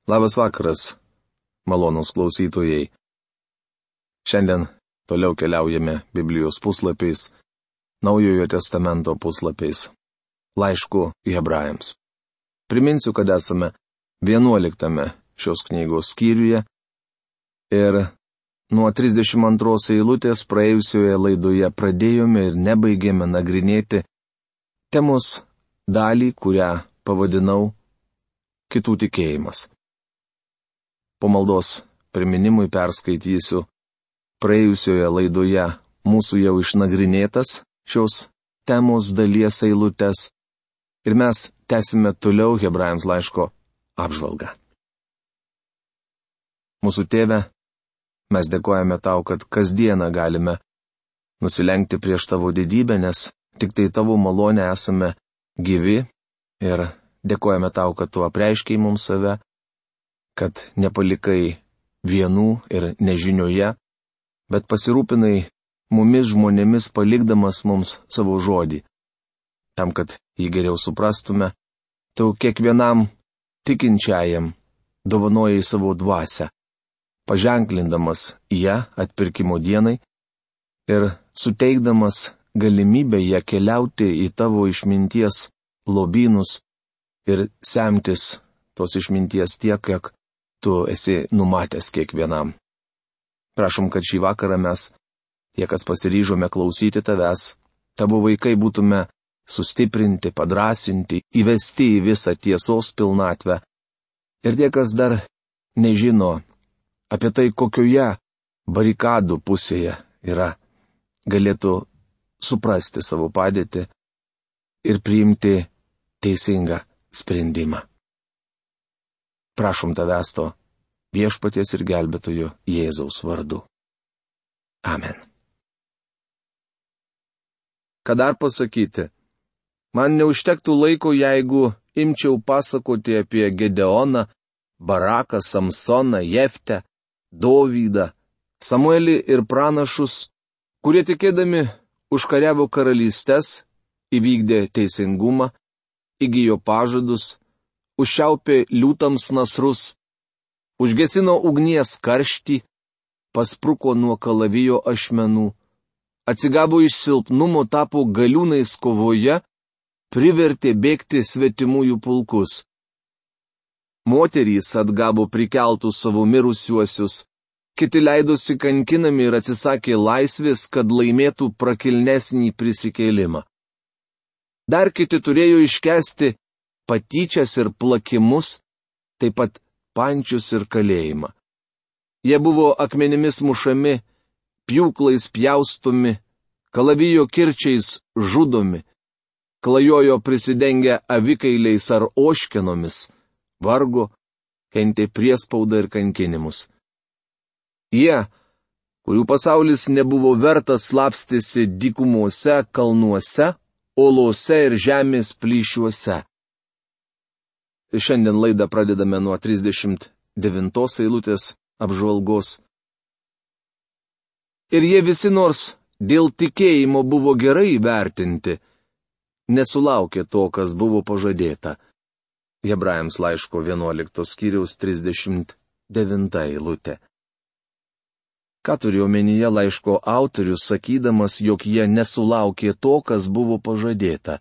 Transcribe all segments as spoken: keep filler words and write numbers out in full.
Labas vakaras, malonūs klausytojai. Šiandien toliau keliaujame Biblijos puslapiais, Naujojo testamento puslapiais, laišku Hebrajams. Priminsiu, kad esame vienuoliktame šios knygos skyriuje ir nuo trisdešimt antros eilutės praėjusioje laidoje pradėjome ir nebaigėme nagrinėti temos dalį, kurią pavadinau kitų tikėjimas. Po maldos priminimui perskaitysiu praėjusioje laidoje mūsų jau išnagrinėtas šios temos dalies eilutes ir mes tęsime toliau Hebrajams laiško apžvalgą. Mūsų Tėve, mes dėkojame Tau, kad kasdieną galime nusilenkti prieš Tavo didybę, nes tik tai Tavo malonę esame gyvi ir dėkojame Tau, kad Tu apreiškiai mums save, kad nepalikai vienų ir nežinioje, bet pasirūpinai mumis žmonėmis palikdamas mums savo žodį. Tam, kad jį geriau suprastume, Tu kiekvienam tikinčiajam dovanojai savo dvasią, paženklindamas ją atpirkimo dienai ir suteikdamas galimybę ją keliauti į Tavo išminties lobynus ir semtis tos išminties tiek, kiek Tu esi numatęs kiekvienam. Prašom, kad šį vakarą mes, tie, kas pasiryžome klausyti Tavęs, Tavo vaikai būtume sustiprinti, padrasinti, įvesti į visą tiesos pilnatvę. Ir tie, kas dar nežino apie tai, kokioje barikadų pusėje yra, galėtų suprasti savo padėtį ir priimti teisingą sprendimą. Prašom Tavęs to Viešpaties ir gelbėtojo Jėzaus vardu. Amen. Ką dar pasakyti? Man neužtektų laiko, jeigu imčiau pasakoti apie Gedeoną, Baraką, Samsoną, Jeftę, Dovydą, Samuelį ir pranašus, kurie tikėdami užkariavo karalystes, įvykdė teisingumą, įgijo pažadus, užšiaupė liūtams nasrus, užgesino ugnies karštį, paspruko nuo kalavijo ašmenų, atsigavo iš silpnumo, tapo galiūnais kovoje, privertė bėgti svetimųjų pulkus. Moterys atgavo prikeltus savo mirusiuosius, kiti leidosi kankinami ir atsisakė laisvės, kad laimėtų prakilnesnį prisikėlimą. Dar kiti turėjo iškęsti patyčias ir plakimus, taip pat pančius ir kalėjimą. Jie buvo akmenimis mušami, pjūklais pjaustomi, kalavijo kirčiais žudomi, klajojo prisidengę avikailiais ar oškenomis, vargo, kentė priespaudą ir kankinimus. Jie, kurių pasaulis nebuvo vertas, slapstėsi dykumose, kalnuose, olose ir žemės plyšiuose. Šiandien laidą pradedame nuo trisdešimt devintos eilutės apžvalgos. Ir jie visi, nors dėl tikėjimo buvo gerai įvertinti, nesulaukė to, kas buvo pažadėta. Hebrajams laiško vienuoliktos skyriaus trisdešimt devinta eilutė. Ką turi omenyje laiško autorius, sakydamas, jog jie nesulaukė to, kas buvo pažadėta?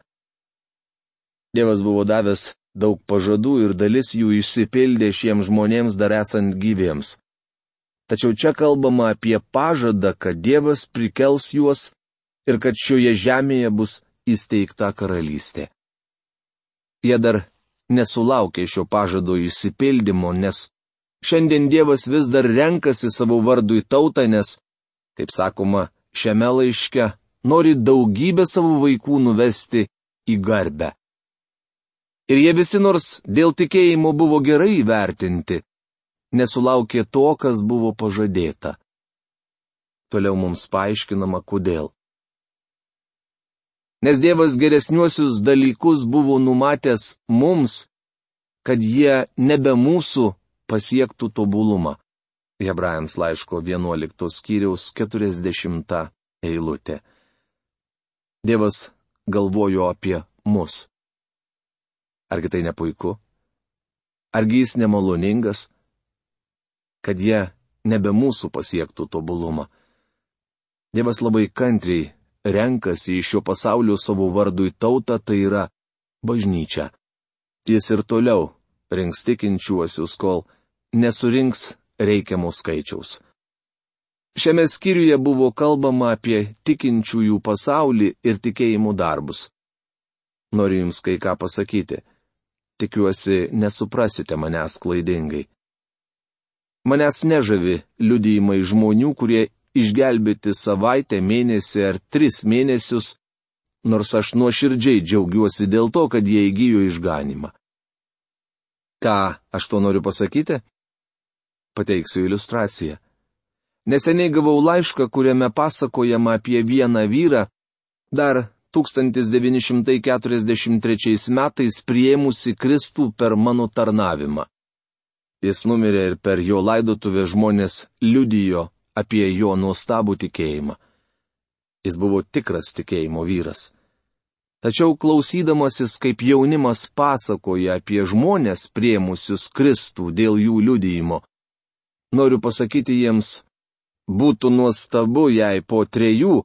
Dievas buvo davęs daug pažadų ir dalis jų išsipildė šiems žmonėms dar esant gyviems. Tačiau čia kalbama apie pažadą, kad Dievas prikels juos ir kad šioje žemėje bus įsteigta karalystė. Jie dar nesulaukė šio pažado išsipildymo, nes šiandien Dievas vis dar renkasi savo vardui tautą, nes, kaip sakoma, šiame laiške nori daugybę savo vaikų nuvesti į garbę. Ir jie visi, nors dėl tikėjimo buvo gerai įvertinti, nesulaukė to, kas buvo pažadėta. Toliau mums paaiškinama, kodėl. Nes Dievas geresniuosius dalykus buvo numatęs mums, kad jie nebe mūsų pasiektų tobulumą. Hebrajams laiško vienuoliktos skyriaus keturiasdešimta eilutė. Dievas galvojo apie mus. Argi tai ne puiku? Argi jis nemaloningas? Kad jie nebe mūsų pasiektų tobulumą. Dievas labai kantriai renkasi iš šio pasaulio savo vardui tautą, tai yra bažnyčia. Jis ir toliau rinks tikinčiuosius, kol nesurinks reikiamo skaičiaus. Šiame skyriuje buvo kalbama apie tikinčiųjų pasaulį ir tikėjimų darbus. Noriu jums kai ką pasakyti. Tikiuosi, nesuprasite manęs klaidingai. Manęs nežavi liudijimai žmonių, kurie išgelbėti savaitę, mėnesį ar tris mėnesius, nors aš nuoširdžiai džiaugiuosi dėl to, kad jie įgijo išganimą. Ką aš to noriu pasakyti? Pateiksiu iliustraciją. Neseniai gavau laišką, kuriame pasakojama apie vieną vyrą, dar tūkstantis devyni šimtai keturiasdešimt trečiais metais priėmusi Kristų per mano tarnavimą. Jis numirė ir per jo laidotuvę žmonės liudijo apie jo nuostabų tikėjimą. Jis buvo tikras tikėjimo vyras. Tačiau klausydamasis, kaip jaunimas pasakoja apie žmonės priėmusius Kristų dėl jų liudijimo, noriu pasakyti jiems, būtų nuostabu, jei po trejų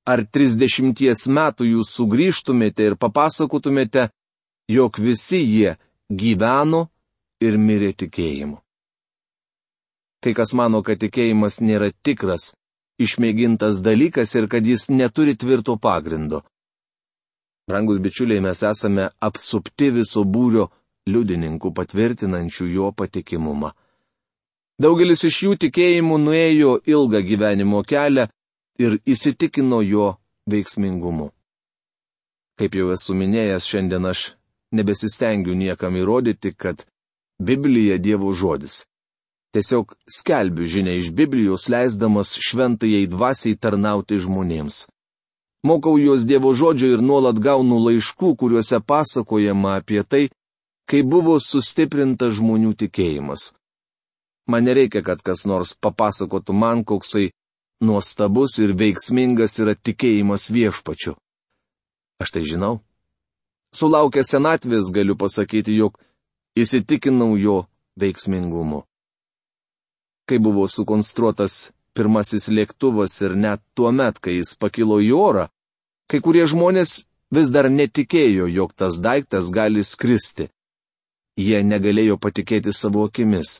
ar trisdešimties metų jūs sugrįžtumėte ir papasakotumėte, jog visi jie gyveno ir mirė tikėjimu. Kai kas mano, kad tikėjimas nėra tikras, išmėgintas dalykas ir kad jis neturi tvirto pagrindo. Brangus bičiuliai, mes esame apsupti viso būrio liudininkų patvirtinančių jo patikimumą. Daugelis iš jų tikėjimų nuėjo ilgą gyvenimo kelią ir įsitikino jo veiksmingumu. Kaip jau esu minėjęs, šiandien aš nebesistengiu niekam įrodyti, kad Biblija Dievo žodis. Tiesiog skelbiu žinią iš Biblijos, leisdamas šventajai dvasiai tarnauti žmonėms. Mokau juos Dievo žodžio ir nuolat gaunu laiškų, kuriuose pasakojama apie tai, kaip buvo sustiprintas žmonių tikėjimas. Man nereikia, kad kas nors papasakotų man, koksai nuostabus ir veiksmingas yra tikėjimas viešpačiu. Aš tai žinau. Sulaukęs senatvės galiu pasakyti, jog įsitikinau jo veiksmingumu. Kai buvo sukonstruotas pirmasis lėktuvas ir net tuo met, kai jis pakilo į orą, kai kurie žmonės vis dar netikėjo, jog tas daiktas gali skristi. Jie negalėjo patikėti savo akimis.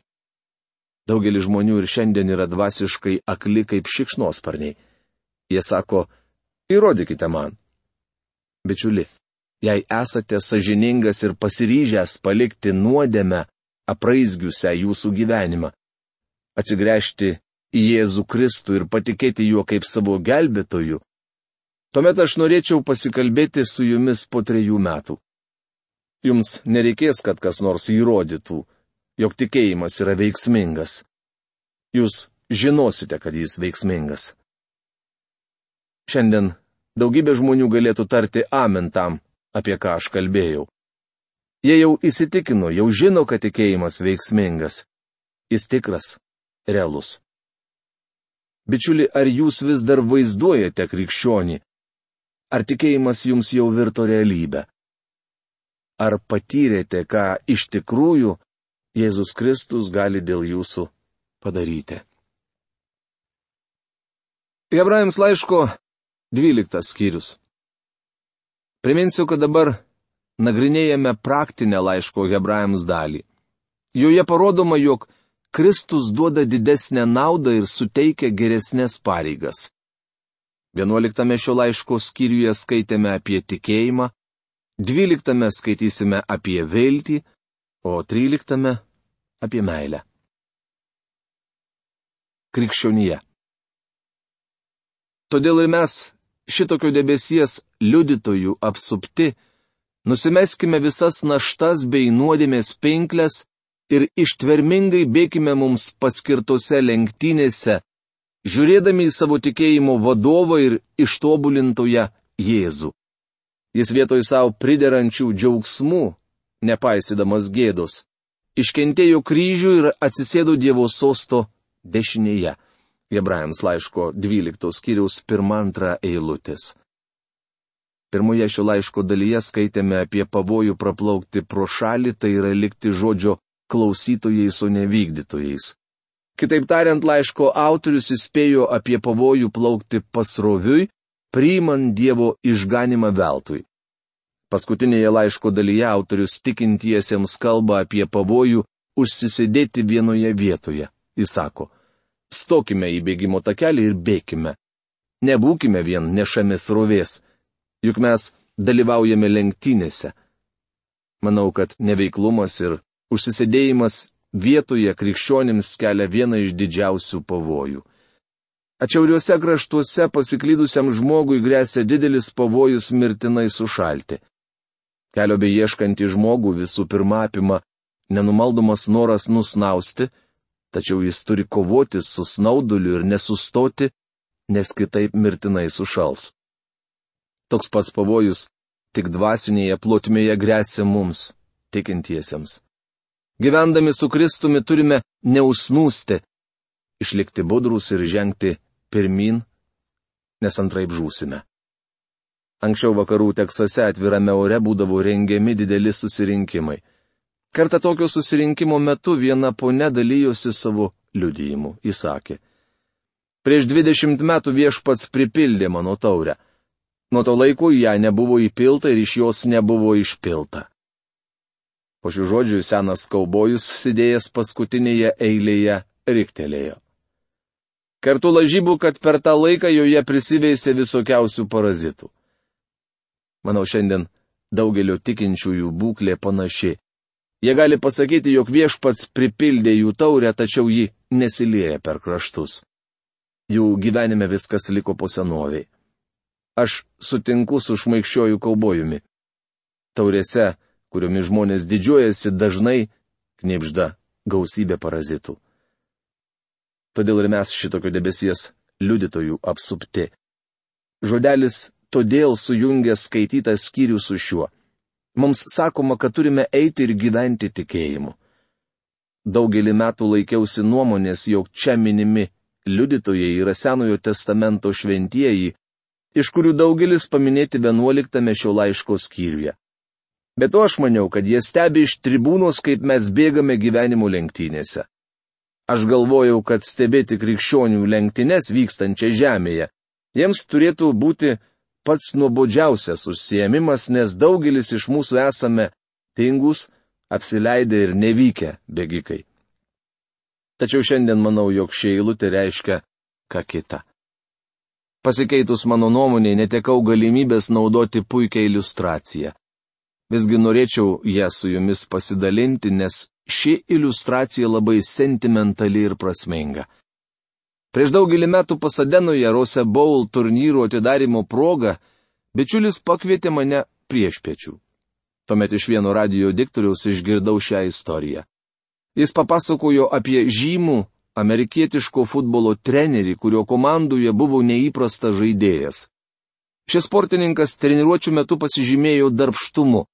Daugelis žmonių ir šiandien yra dvasiškai akli kaip šikšnosparniai. Jie sako, įrodykite man. Bičiuli, jei esate sąžiningas ir pasiryžęs palikti nuodėmę, apraizgiusią jūsų gyvenimą, atsigręžti į Jėzų Kristų ir patikėti juo kaip savo gelbėtoju, tuomet aš norėčiau pasikalbėti su jumis po trejų metų. Jums nereikės, kad kas nors įrodytų, jog tikėjimas yra veiksmingas. Jūs žinosite, kad jis veiksmingas. Šiandien daugybė žmonių galėtų tarti amen tam, apie ką aš kalbėjau. Jie jau įsitikino, jau žino, kad tikėjimas veiksmingas. Jis tikras, realus. Bičiuli, ar jūs vis dar vaizduojate krikščionį? Ar tikėjimas jums jau virto realybę? Ar patyrėte, ką iš tikrųjų Jėzus Kristus gali dėl jūsų padaryti? Hebrajams laiško dvyliktas skyrius. Priminsiu, kad dabar nagrinėjame praktinę laiško Hebrajams dalį. Joje parodoma, jog Kristus duoda didesnę naudą ir suteikia geresnės pareigas. Vienuoliktame šio laiško skyriuje skaitėme apie tikėjimą, dvyliktame skaitysime apie viltį, o tryliktame apie meilę. Krikščionija. Todėl ir mes, šitokio debesies liudytojų apsupti, nusimeskime visas naštas bei nuodėmės pinkles ir ištvermingai bėkime mums paskirtose lenktynėse, žiūrėdami į savo tikėjimo vadovą ir ištobulintoją Jėzų. Jis vietoj savo priderančių džiaugsmų, nepaisydamas gėdos, iškentėjo kryžių ir atsisėdo Dievo sosto dešinėje. Hebrajams laiško dvyliktos skyriaus pirma antra eilutės. Pirmoje šio laiško dalyje skaitėme apie pavojų praplaukti pro šalį, tai yra likti žodžio klausytojais, o ne vykdytojais. Kitaip tariant, laiško autorius įspėjo apie pavojų plaukti pasroviui, priimant Dievo išganimą veltui. Paskutinėje laiško dalyje autorius tikintiesiems kalba apie pavojų užsisėdėti vienoje vietoje. Jis sako, stokime į bėgimo takelį ir bėkime. Nebūkime vien nešami srovės, juk mes dalyvaujame lenktynėse. Manau, kad neveiklumas ir užsisėdėjimas vietoje krikščionims kelia vieną iš didžiausių pavojų. Atšiauriuose kraštuose pasiklydusiam žmogui gresia didelis pavojus mirtinai sušalti. Kelio beieškantį žmogų visų pirma apima nenumaldomas noras nusnausti, tačiau jis turi kovoti su snauduliu ir nesustoti, nes kitaip mirtinai sušals. Toks pats pavojus tik dvasinėje plotmėje gresia mums, tikintiesiems. Gyvendami su Kristumi turime neusnūsti, išlikti budrus ir žengti pirmin, nes antraip žūsime. Anksčiau vakarų Teksase atvirame ore būdavo rengiami dideli susirinkimai. Kartą tokio susirinkimo metu viena ponia dalyjosi savo liudijimu. Ji sakė, prieš dvidešimt metų Viešpats pripildė mano taurę. Nuo to laiko ją nebuvo įpilta ir iš jos nebuvo išpilta. Po šių žodžių senas kaubojus, sėdėjęs paskutinėje eilėje, riktelėjo. Kartu lažybų, kad per tą laiką joje prisiveisė visokiausių parazitų. Manau, šiandien daugelio tikinčiųjų būklė panaši. Jie gali pasakyti, jog Viešpats pripildė jų taurę, tačiau ji nesilieja per kraštus. Jų gyvenime viskas liko po senoviai. Aš sutinku su šmaikščiuoju kaubojumi. Taurėse, kuriomis žmonės didžiuojasi, dažnai knibžda gausybė parazitų. Todėl ir mes šitokio debesies liudytojų apsupti. Žodelis todėl sujungia skaitytą skyrių su šiuo. Mums sakoma, kad turime eiti ir gyventi tikėjimu. Daugelį metų laikiausi nuomonės, jog čia minimi liudytojai yra Senojo testamento šventieji, iš kurių daugelis paminėti vienuoliktame šio laiško skyriuje. Bet to aš maniau, kad jie stebi iš tribūnos, kaip mes bėgame gyvenimo lenktynėse. Aš galvojau, kad stebėti krikščionių lenktynes vykstančią žemėje jiems turėtų būti pats nuobodžiausias užsiėmimas, nes daugelis iš mūsų esame tingus, apsileidę ir nevykę bėgikai. Tačiau šiandien manau, jog ši eilutė reiškia ką kita. Pasikeitus mano nuomonei, netekau galimybės naudoti puikią iliustraciją. Visgi norėčiau ją su jumis pasidalinti, nes ši iliustracija labai sentimentali ir prasminga. Prieš daugelį metų Pasadenoje Rose Bowl turnyro atidarimo proga bičiulis pakvietė mane priešpiečių. Tuomet iš vieno radijo diktoriaus išgirdau šią istoriją. Jis papasakojo apie žymų amerikietiško futbolo trenerį, kurio komandoje buvo neįprastas žaidėjas. Šis sportininkas treniruočių metu pasižymėjo darbštumu.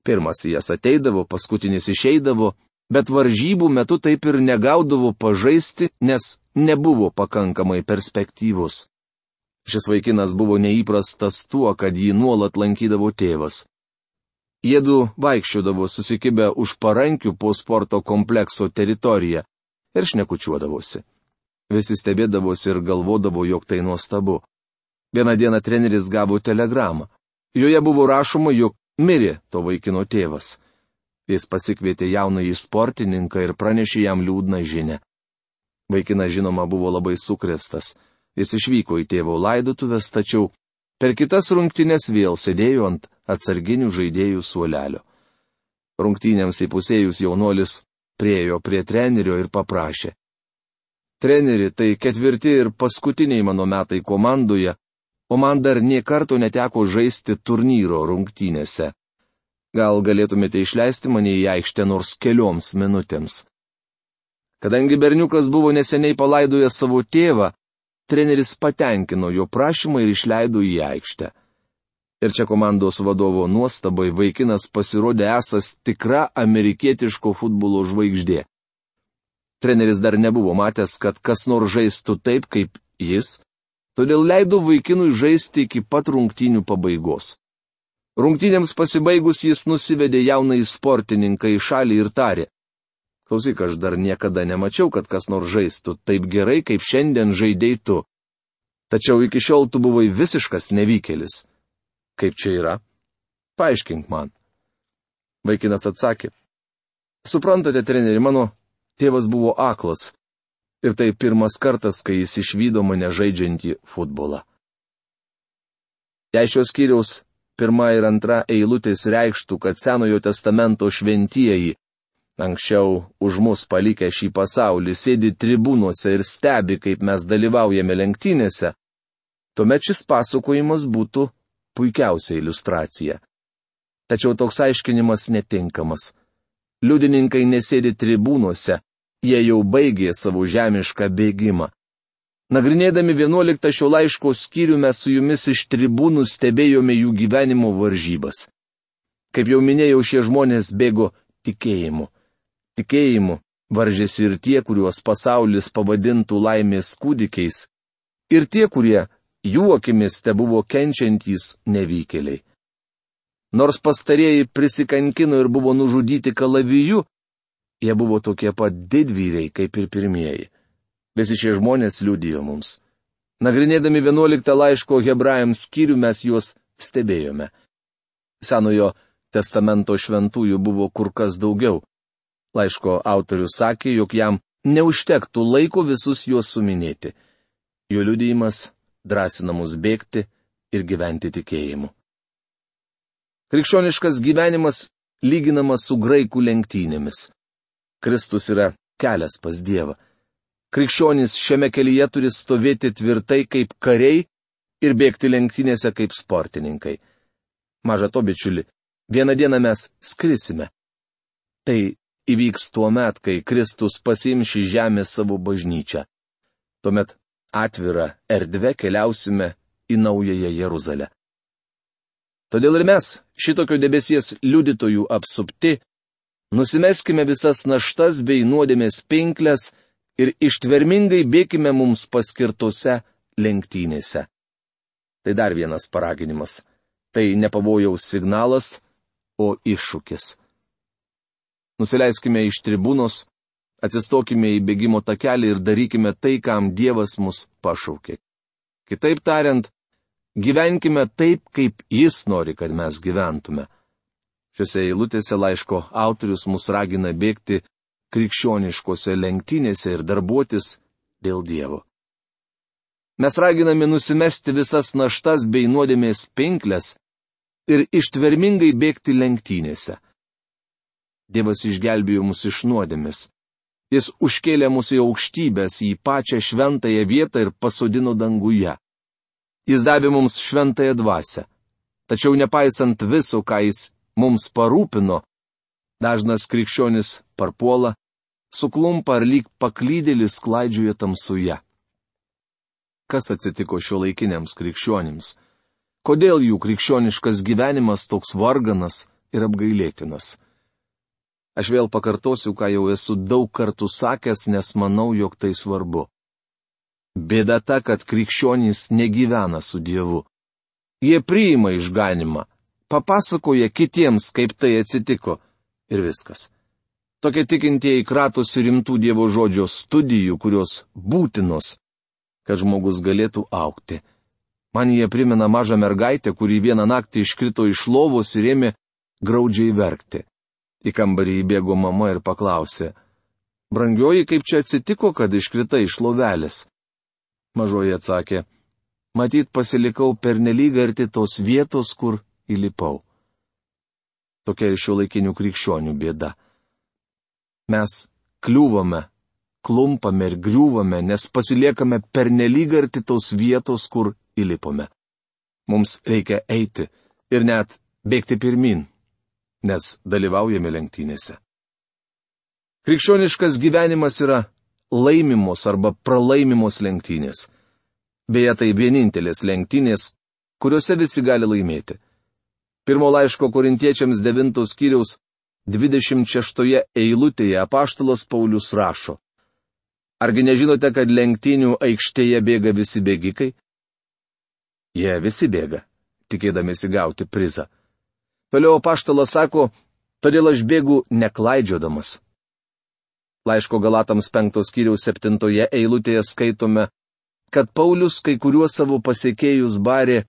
Pirmas į jas ateidavo, paskutinis išeidavo, bet varžybų metu taip ir negaudavo pažaisti, nes nebuvo pakankamai perspektyvus. Šis vaikinas buvo neįprastas tuo, kad jį nuolat lankydavo tėvas. Jiedu vaikščiodavo susikibę už parankių po sporto komplekso teritoriją ir šnekučiuodavosi. Visi stebėdavosi ir galvodavo, jog tai nuostabu. Vieną dieną treneris gavo telegramą. Joje buvo rašoma, jog mirė to vaikino tėvas. Jis pasikvietė jaunąjį sportininką ir pranešė jam liūdną žinią. Vaikinas žinoma buvo labai sukrėstas. Jis išvyko į tėvo laidotuvės, tačiau per kitas rungtynes vėl sėdėjo ant atsarginių žaidėjų suolelio. Rungtynėms įpusėjus jaunuolis priėjo prie trenerio ir paprašė. Treneri, tai ketvirti ir paskutiniai mano metai komandoje, o man dar nė karto neteko žaisti turnyro rungtynėse. Gal galėtumėte išleisti mane į aikštę nors kelioms minutėms. Kadangi berniukas buvo neseniai palaidojęs savo tėvą, treneris patenkino jo prašymą ir išleido į aikštę. Ir čia komandos vadovo nuostabai vaikinas pasirodė esas tikra amerikietiško futbolo žvaigždė. Treneris dar nebuvo matęs, kad kas nors žaistų taip, kaip jis, todėl leido vaikinui žaisti iki pat rungtynių pabaigos. Rungtynėms pasibaigus jis nusivedė jaunąjį sportininką į šalį ir tarė. Klausyk, aš dar niekada nemačiau, kad kas nors žaistų taip gerai, kaip šiandien žaidei tu. Tačiau iki šiol tu buvai visiškas nevykėlis. Kaip čia yra? Paaiškink man. Vaikinas atsakė. Suprantate, treneri, mano tėvas buvo aklas. Ir tai pirmas kartas, kai jis išvydo mane žaidžiantį futbolą. Jei šios skyriaus pirma ir antra eilutės reikštų, kad Senojo testamento šventieji, anksčiau už mus palikę šį pasaulį, sėdi tribūnuose ir stebi, kaip mes dalyvaujame lenktynėse, tuomet šis pasakojimas būtų puikiausia iliustracija. Tačiau toks aiškinimas netinkamas. Liudininkai nesėdi tribūnuose, jie jau baigė savo žemišką bėgimą. Nagrinėdami vienuoliktą šio laiško skyrių mes su jumis iš tribūnų stebėjome jų gyvenimo varžybas. Kaip jau minėjau, šie žmonės bėgo tikėjimu. Tikėjimu varžėsi ir tie, kuriuos pasaulis pavadintų laimės kūdikiais, ir tie, kurie jų akimis tebuvo kenčiantys nevykėliai. Nors pastarieji prisikankino ir buvo nužudyti kalaviju, jie buvo tokie pat didvyriai kaip ir pirmieji. Visi šie žmonės liudijo mums. Nagrinėdami vienuoliktą laiško hebrajams skyrių mes juos stebėjome. Senojo testamento šventųjų buvo kur kas daugiau. Laiško autorius sakė, jog jam neužtektų laiko visus juos suminėti. Jo liudijimas drąsina mus bėgti ir gyventi tikėjimu. Krikščioniškas gyvenimas lyginamas su graikų lenktynėmis. Kristus yra kelias pas Dievą. Krikščionys šiame kelyje turi stovėti tvirtai kaip kariai ir bėgti lenktynėse kaip sportininkai. Maža to, bičiuli, vieną dieną mes skrisime. Tai įvyks tuo met, kai Kristus pasiims į žemę savo bažnyčią. Tuomet atvira erdve keliausime į naująją Jeruzalę. Todėl ir mes, šitokio debesies liudytojų apsupti, nusimeskime visas naštas bei nuodėmės pinkles ir ištvermingai bėkime mums paskirtose lenktynėse. Tai dar vienas paraginimas. Tai ne pavojaus signalas, o iššūkis. Nusileiskime iš tribūnos, atsistokime į bėgimo takelį ir darykime tai, kam Dievas mus pašaukė. Kitaip tariant, gyvenkime taip, kaip Jis nori, kad mes gyventume. Šiuose eilutėse laiško autorius mus ragina bėgti krikščioniškose lenktynėse ir darbuotis dėl Dievo. Mes raginame nusimesti visas naštas bei nuodėmės pinkles ir ištvermingai bėgti lenktynėse. Dievas išgelbėjo mus iš nuodėmės. Jis užkėlė mus į aukštybės, į pačią šventąją vietą ir pasodino danguje. Jis davė mums šventąją dvasią. Tačiau nepaisant viso, ką jis mums parūpino, dažnas krikščionis parpuola, suklumpa ar lyg paklydėlis klaidžioja tamsuje. Kas atsitiko šiuolaikiniams krikščionims? Kodėl jų krikščioniškas gyvenimas toks varganas ir apgailėtinas? Aš vėl pakartosiu, ką jau esu daug kartų sakęs, nes manau, jog tai svarbu. Bėda ta, kad krikščionys negyvena su Dievu. Jie priima išganimą, papasakoja kitiems, kaip tai atsitiko, ir viskas. Tokie tikintieji kratosi rimtų Dievo žodžio studijų, kurios būtinos, kad žmogus galėtų augti. Man jie primena mažą mergaitę, kuri vieną naktį iškrito iš lovos ir ėmė graudžiai verkti. Į kambarį įbėgo mama ir paklausė: "Brangioji, kaip čia atsitiko, kad iškritai iš lovelės?" Mažoji atsakė: "Matyt, pasilikau pernelyg arti tos vietos, kur įlipau." Tokia ir šiuolaikinių krikščionių bėda. Mes kliūvame, klumpame ir griūvame, nes pasiliekame pernelyg arti tos vietos, kur įlipome. Mums reikia eiti ir net bėgti pirmin, nes dalyvaujame lenktynėse. Krikščioniškas gyvenimas yra laimimos arba pralaimimos lenktynės. Beje, tai vienintelės lenktynės, kuriuose visi gali laimėti. Pirmo laiško Korintiečiams devintos skyriaus dvidešimt šeštoje eilutėje apaštalas Paulius rašo: "Argi nežinote, kad lenktynių aikštėje bėga visi bėgikai?" Jie visi bėga, tikėdamėsi gauti prizą. Toliau apaštalas sako: "Todėl aš bėgu neklaidžiodamas." Laiško Galatams penktos skyriaus septintoje eilutėje skaitome, kad Paulius kai kuriuos savo pasiekėjus barė,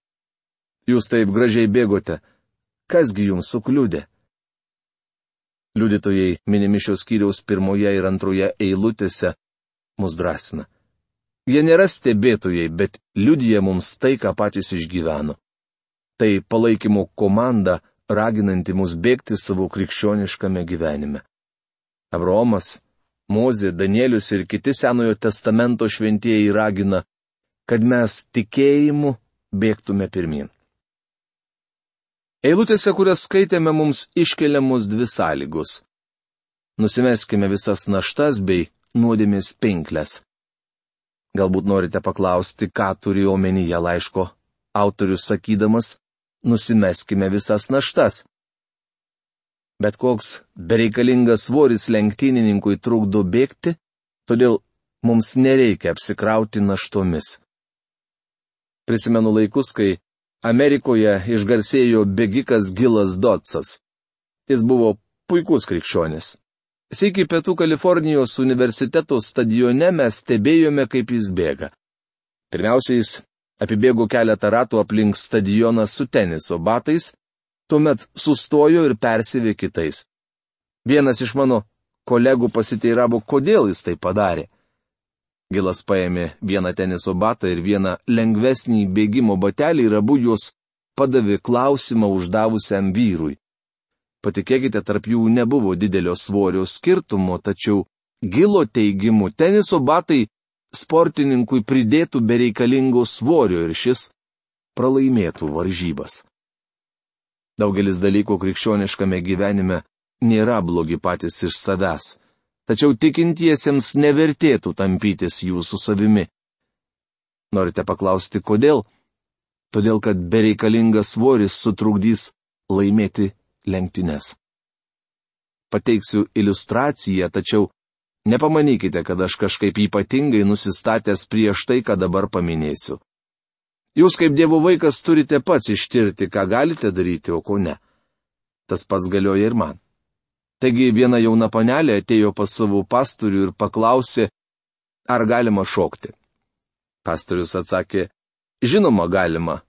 jūs taip gražiai bėgote, kasgi jums sukliudė? Liudytojai minimi šios skyriaus pirmoje ir antroje eilutėse mus drąsina. Jie nėra stebėtojai, bet liudija mums tai, ką patys išgyveno. Tai palaikymo komanda, raginanti mus bėgti savo krikščioniškame gyvenime. Abraomas, Mozė, Danielius ir kiti Senojo testamento šventieji ragina, kad mes tikėjimu bėgtume pirmin. Eilutėse, kurias skaitėme, mums iškeliamos dvi sąlygos. Nusimeskime visas naštas bei nuodėmės pinkles. Galbūt norite paklausti, ką turi omenyje laiško autorius sakydamas, nusimeskime visas naštas. Bet koks bereikalingas svoris lenktynininkui trukdo bėgti, todėl mums nereikia apsikrauti naštomis. Prisimenu laikus, kai Amerikoje išgarsėjo bėgikas Gilas Dotsas. Jis buvo puikus krikščionis. Sykį Pietų Kalifornijos universiteto stadione mes stebėjome, kaip jis bėga. Pirmiausia, jis apibėgo keletą ratų aplink stadioną su teniso batais, tuomet sustojo ir persivė kitais. Vienas iš mano kolegų pasiteiravo, kodėl jis tai padarė. Gilas paėmė vieną teniso batą ir vieną lengvesnį bėgimo batelį ir abu juos padavė klausimą uždavusiam vyrui. Patikėkite, tarp jų nebuvo didelio svorio skirtumo, tačiau Gilo teigimu teniso batai sportininkui pridėtų bereikalingo svorio ir šis pralaimėtų varžybas. Daugelis dalykų krikščioniškame gyvenime nėra blogi patys iš savęs. Tačiau tikintiesiems nevertėtų tampytis jų su savimi. Norite paklausti, kodėl? Todėl, kad bereikalingas svoris sutrukdys laimėti lenktynes. Pateiksiu iliustraciją, tačiau nepamanykite, kad aš kažkaip ypatingai nusistatęs prieš tai, ką dabar paminėsiu. Jūs kaip Dievo vaikas turite pats ištirti, ką galite daryti, o ko ne. Tas pats galioja ir man. Taigi viena jauna panelė atėjo pas savo pastorių ir paklausė, ar galima šokti. Pastorius atsakė, žinoma galima,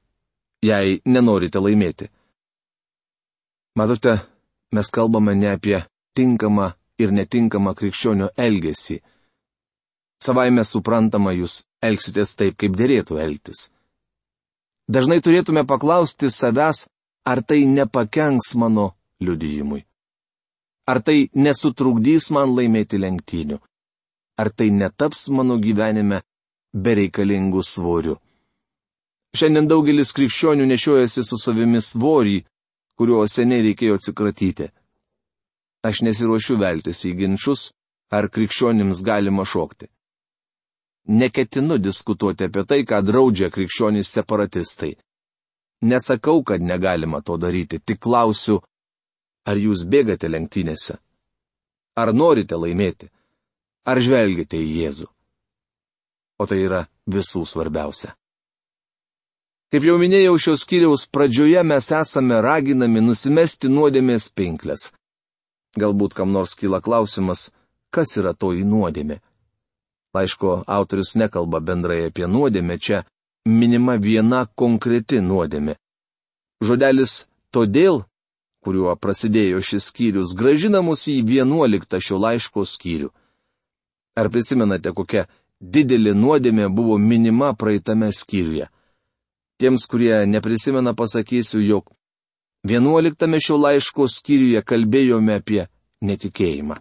jei nenorite laimėti. Matote, mes kalbame ne apie tinkamą ir netinkamą krikščionio elgesį. Savaime suprantama, jūs elgsitės taip, kaip derėtų elgtis. Dažnai turėtume paklausti savęs, ar tai nepakenks mano liudijimui. Ar tai nesutrukdys man laimėti lenktynių? Ar tai netaps mano gyvenime bereikalingų svorių? Šiandien daugelis krikščionių nešiojasi su savimi svorį, kurio seniai reikėjo atsikratyti. Aš nesiruošiu veltis į ginčius, ar krikščionims galima šokti. Neketinu diskutuoti apie tai, ką draudžia krikščionys separatistai. Nesakau, kad negalima to daryti, tik klausiu, ar jūs bėgate lenktynėse? Ar norite laimėti? Ar žvelgite į Jėzų? O tai yra visų svarbiausia. Kaip jau minėjau, šios skyriaus pradžioje mes esame raginami nusimesti nuodėmės pinkles. Galbūt kam nors kyla klausimas, kas yra toji nuodėmė. Laiško autorius nekalba bendrai apie nuodėmę, čia minima viena konkreti nuodėmė. Žodelis todėl, kuriuo prasidėjo šis skyrius, grąžina mus į vienuoliktą šio laiško skyrių. Ar prisimenate, kokia didelė nuodėmė buvo minima praeitame skyriuje? Tiems, kurie neprisimena, pasakysiu, jog vienuoliktame šio laiško skyriuje kalbėjome apie netikėjimą.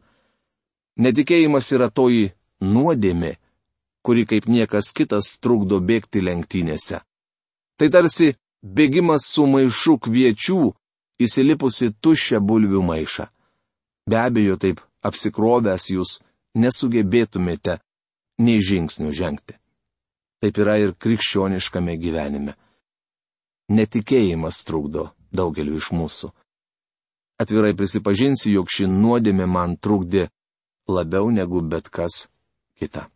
Netikėjimas yra toji nuodėmė, kuri kaip niekas kitas trukdo bėgti lenktynėse. Tai tarsi bėgimas su maišu kviečių, įsilipusi tuščią bulvių maišą. Be abejo, taip apsikrovęs jūs nesugebėtumėte nei žingsnių žengti. Taip yra ir krikščioniškame gyvenime. Netikėjimas trukdo daugeliu iš mūsų. Atvirai prisipažinsiu, jog ši nuodėmė man trukdė labiau negu bet kas kita.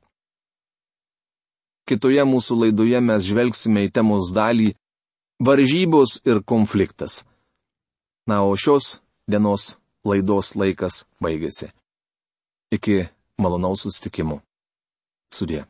Kitoje mūsų laidoje mes žvelgsime į temos dalį varžybos ir konfliktas. Na, o šios dienos laidos laikas baigėsi. Iki Malonaus susitikimų. Sudie.